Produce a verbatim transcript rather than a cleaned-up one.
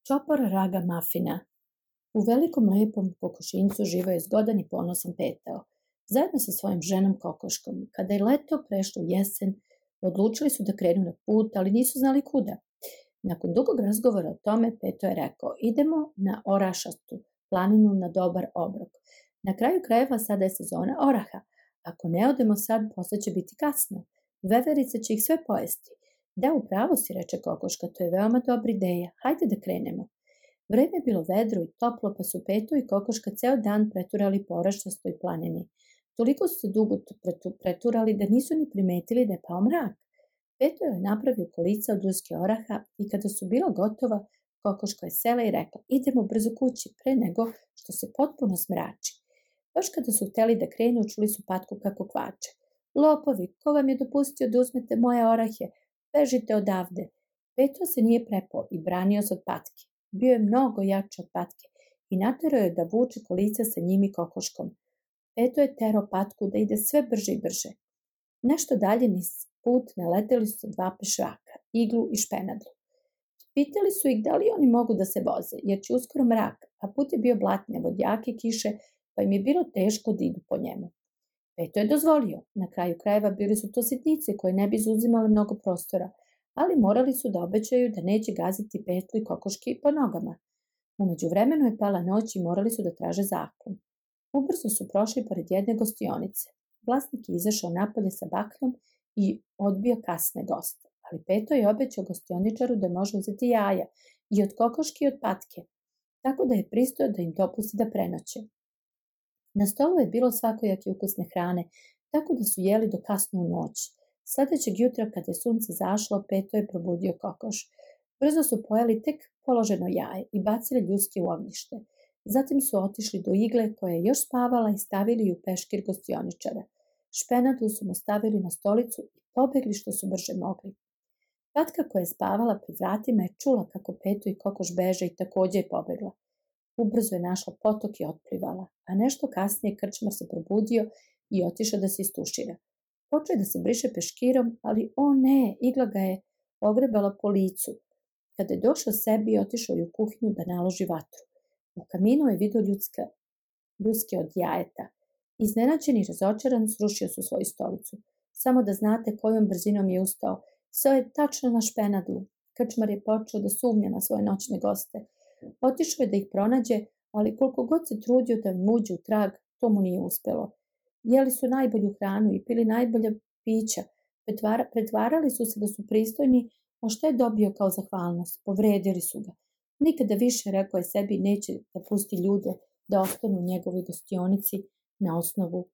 Čopor raga mafina. U velikom lepom kokošinjcu živao je zgodan i ponosan Petao, zajedno sa svojom ženom Kokoškom. Kada je leto prešlo u jesen, odlučili su da krenu na put, ali nisu znali kuda. Nakon dugog razgovora o tome, Peto je rekao, idemo na Orašastu planinu na dobar obrok. Na kraju krajeva sada je sezona oraha. Ako ne odemo sad, posle će biti kasno. Veverica će ih sve pojesti. Da, upravo si, reče Kokoška, to je veoma dobra ideja. Hajde da krenemo. Vreme je bilo vedro i toplo, pa su Peto i Kokoška ceo dan preturali po Orašastoj planini. Toliko su se dugo preturali da nisu ni primetili da je pao mrak. Peto je napravio kolica od ljuske oraha i kada su bila gotova, Kokoška je sela i rekla, idemo brzo kući pre nego što se potpuno smrači. Baš kada su hteli da krenu, čuli su Patku kako kvače. Lopovi, ko vam je dopustio da uzmete moje orahe? Bežite odavde. Peto se nije prepao i branio se od Patke. Bio je mnogo jači od Patke i naterao je da vuče kolica sa njim i Kokoškom. Peto je terao Patku da ide sve brže i brže. Nešto dalje niz put naleteli su dva pešaka, Iglu i Špenadlu. Pitali su ih da li oni mogu da se voze, jer će uskoro mrak, a put je bio blatnjav od jake kiše, pa im je bilo teško da idu po njemu. Peto je dozvolio. Na kraju krajeva bili su to sitnice koje ne bi izuzimale mnogo prostora, ali morali su da obećaju da neće gaziti Petlu i Kokoški po nogama. U međuvremenu je pala noć i morali su da traže zaklon. Ubrzo su prošli pored jedne gostionice. Vlasnik je izašao napolje sa bakljom i odbio kasne goste, ali Peto je obećao gostioničaru da može uzeti jaja i od Kokoški i od Patke, tako da je pristao da im dopusti da prenoće. Na stolu je bilo svakojake ukusne hrane, tako da su jeli do kasno u noć. Sledećeg jutra, kada je sunce zašlo, Peto je probudio Kokoš. Brzo su pojeli tek položeno jaje i bacili ljuske u ognjište. Zatim su otišli do Igle koja je još spavala i stavili ju u peškir gostioničara. Špenadlu su mu stavili na stolicu i pobegli što su brže mogli. Patka koja je spavala pred vratima je čula kako Peto i Kokoš beže i takođe je pobegla. Ubrzo je našla potok i otplivala, a nešto kasnije krčmar se probudio i otišao da se istušira. Počeo je da se briše peškirom, ali o ne, Igla ga je ogrebala po licu. Kada je došao sebi, otišao je u kuhinju da naloži vatru. U kaminu je vidio ljudska, ljuske od jajeta. Iznenađen i razočaran srušio su svoju stolicu. Samo da znate kojom brzinom je ustao. Sve je tačno na Špenadlu. Krčmar je počeo da sumnja na svoje noćne goste. Otišao je da ih pronađe, ali koliko god se trudio da im uđe u trag, to mu nije uspelo. Jeli su najbolju hranu i pili najbolja pića. Pretvara, pretvarali su se da su pristojni, a što je dobio kao zahvalnost? Povredili su ga. Nikada više, rekao je sebi, neće da pusti ljude da ostanu u njegovoj gostionici na osnovu